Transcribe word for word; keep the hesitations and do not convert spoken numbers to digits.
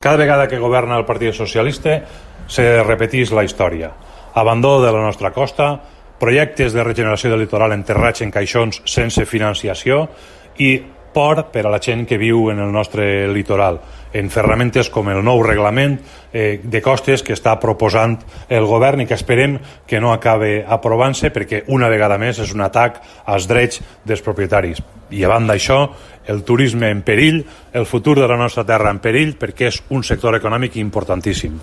Cada vegada que governa el Partit Socialista se repeteix la història. Abandó de la nostra costa, projectes de regeneració del litoral enterrats en caixons sense financiació i por per a la gent que viu en el nostre litoral, en ferramentes com el nou reglament eh, de costes que està proposant el govern i que esperem que no acabe aprovant-se perquè una vegada més és un atac als drets dels propietaris. I a banda d'això, el turisme en perill, el futur de la nostra terra en perill perquè és un sector econòmic importantíssim.